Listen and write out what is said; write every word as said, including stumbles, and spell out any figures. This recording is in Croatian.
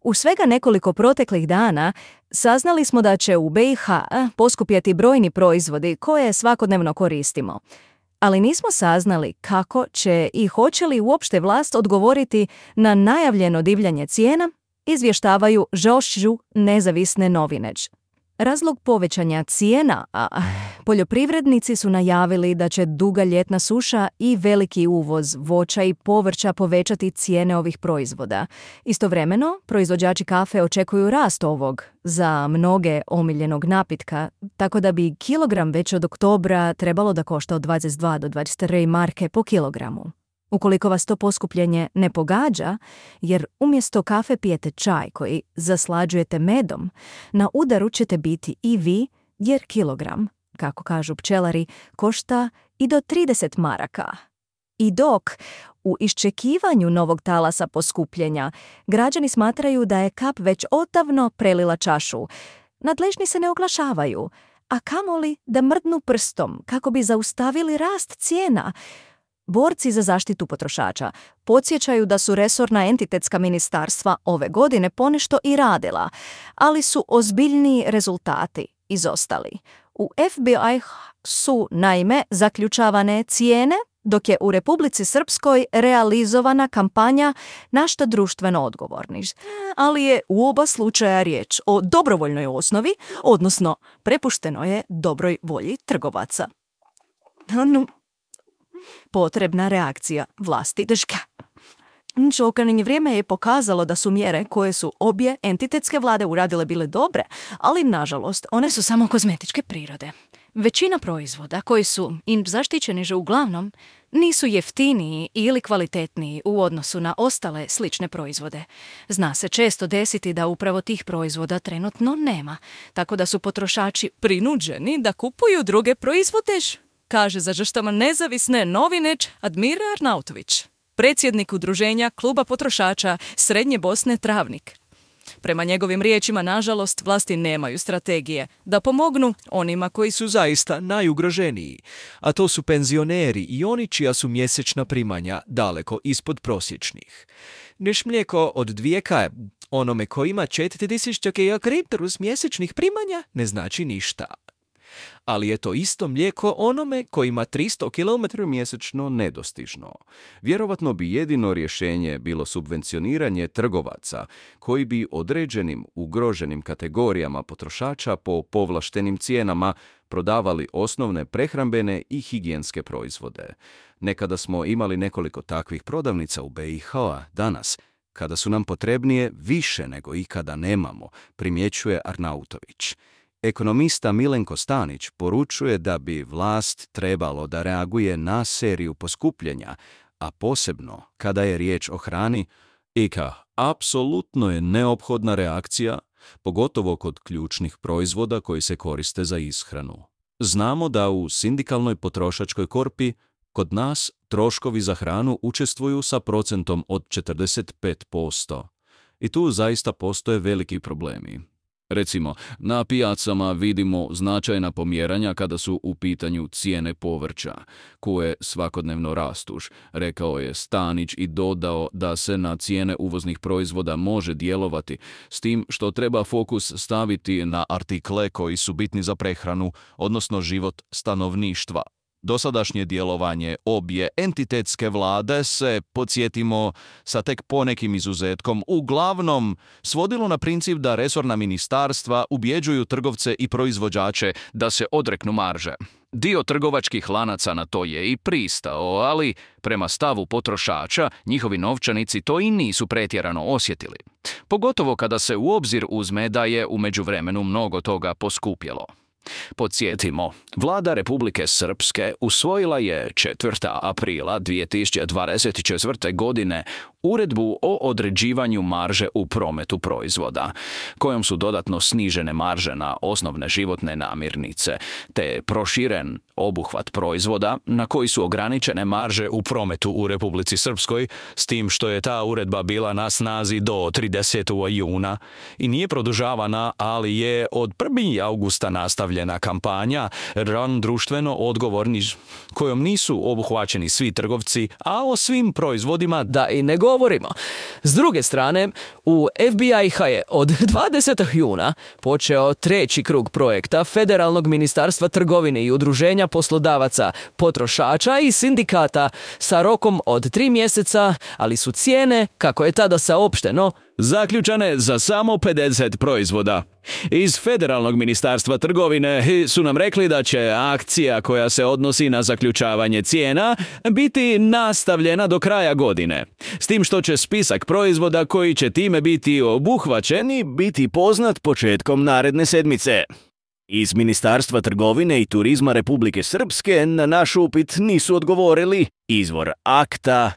U svega nekoliko proteklih dana saznali smo da će u be i ha poskupjeti brojni proizvodi koje svakodnevno koristimo. Ali nismo saznali kako će i hoće li uopšte vlast odgovoriti na najavljeno divljanje cijena, izvještavaju žošću nezavisne novine. Razlog povećanja cijena, a poljoprivrednici su najavili da će duga ljetna suša i veliki uvoz voća i povrća povećati cijene ovih proizvoda. Istovremeno, proizvođači kafe očekuju rast ovog, za mnoge omiljenog napitka, tako da bi kilogram već od oktobra trebalo da košta od dvadeset dva do dvadeset tri marke po kilogramu. Ukoliko vas to poskupljenje ne pogađa, jer umjesto kafe pijete čaj koji zaslađujete medom, na udaru ćete biti i vi, jer kilogram, kako kažu pčelari, košta i do trideset maraka. I dok, u iščekivanju novog talasa poskupljenja, građani smatraju da je kap već odavno prelila čašu, nadležni se ne oglašavaju, a kamoli da mrdnu prstom kako bi zaustavili rast cijena. Borci za zaštitu potrošača podsjećaju da su resorna entitetska ministarstva ove godine ponešto i radila, ali su ozbiljniji rezultati izostali. U ef be i su, naime, zaključavane cijene, dok je u Republici Srpskoj realizovana kampanja na što društveno odgovorni. Ali je u oba slučaja riječ o dobrovoljnoj osnovi, odnosno prepušteno je dobroj volji trgovaca. No, potrebna reakcija vlasti držka. Čokanjenje vrijeme je pokazalo da su mjere koje su obje entitetske vlade uradile bile dobre, ali nažalost one su samo kozmetičke prirode. Većina proizvoda koji su im zaštićeni že uglavnom nisu jeftiniji ili kvalitetniji u odnosu na ostale slične proizvode. Zna se često desiti da upravo tih proizvoda trenutno nema, tako da su potrošači prinuđeni da kupuju druge proizvode, kaže za žrtvama nezavisne novine Admir Arnautović, predsjednik udruženja Kluba potrošača Srednje Bosne Travnik. Prema njegovim riječima, nažalost, vlasti nemaju strategije da pomognu onima koji su zaista najugroženiji, a to su penzioneri i oni čija su mjesečna primanja daleko ispod prosječnih. Neš mlijeko od dvijeka onome ko ima četiri tisuće kriptorus mjesečnih primanja ne znači ništa. Ali je to isto mlijeko onome koji ima tristo kilometara mjesečno nedostižno. Vjerovatno bi jedino rješenje bilo subvencioniranje trgovaca koji bi određenim ugroženim kategorijama potrošača po povlaštenim cijenama prodavali osnovne prehrambene i higijenske proizvode. Nekada smo imali nekoliko takvih prodavnica u be i ha, danas, kada su nam potrebnije više nego ikada nemamo, primjećuje Arnautović. Ekonomista Milenko Stanić poručuje da bi vlast trebalo da reaguje na seriju poskupljenja, a posebno kada je riječ o hrani, i ka apsolutno je neophodna reakcija, pogotovo kod ključnih proizvoda koji se koriste za ishranu. Znamo da u sindikalnoj potrošačkoj korpi kod nas troškovi za hranu učestvuju sa procentom od četrdeset pet posto. I tu zaista postoje veliki problemi. Recimo, na pijacama vidimo značajna pomjeranja kada su u pitanju cijene povrća, koje svakodnevno rastuš, rekao je Stanić i dodao da se na cijene uvoznih proizvoda može djelovati, s tim što treba fokus staviti na artikle koji su bitni za prehranu, odnosno život stanovništva. Dosadašnje djelovanje obje entitetske vlade se, podsjetimo, sa tek ponekim izuzetkom, uglavnom svodilo na princip da resorna ministarstva ubjeđuju trgovce i proizvođače da se odreknu marže. Dio trgovačkih lanaca na to je i pristao, ali prema stavu potrošača njihovi novčanici to i nisu pretjerano osjetili. Pogotovo kada se u obzir uzme da je u međuvremenu mnogo toga poskupjelo. Podsjetimo, vlada Republike Srpske usvojila je četvrtog aprila dvije tisuće dvadeset četvrte. godine uredbu o određivanju marže u prometu proizvoda, kojom su dodatno snižene marže na osnovne životne namirnice, te proširen obuhvat proizvoda na koji su ograničene marže u prometu u Republici Srpskoj, s tim što je ta uredba bila na snazi do tridesetog juna i nije produžavana, ali je od prvog augusta nastavljena kampanja ran društveno odgovorni, kojom nisu obuhvaćeni svi trgovci, a o svim proizvodima da i ne govorimo govorimo. S druge strane, u F B I-ha je od dvadesetog juna počeo treći krug projekta Federalnog ministarstva trgovine i udruženja poslodavaca, potrošača i sindikata sa rokom od tri mjeseca, ali su cijene, kako je tada saopšteno, zaključane za samo pedeset proizvoda. Iz Federalnog ministarstva trgovine su nam rekli da će akcija koja se odnosi na zaključavanje cijena biti nastavljena do kraja godine. S tim što će spisak proizvoda koji će time biti obuhvaćeni biti poznat početkom naredne sedmice. Iz Ministarstva trgovine i turizma Republike Srpske na naš upit nisu odgovorili. Izvor akta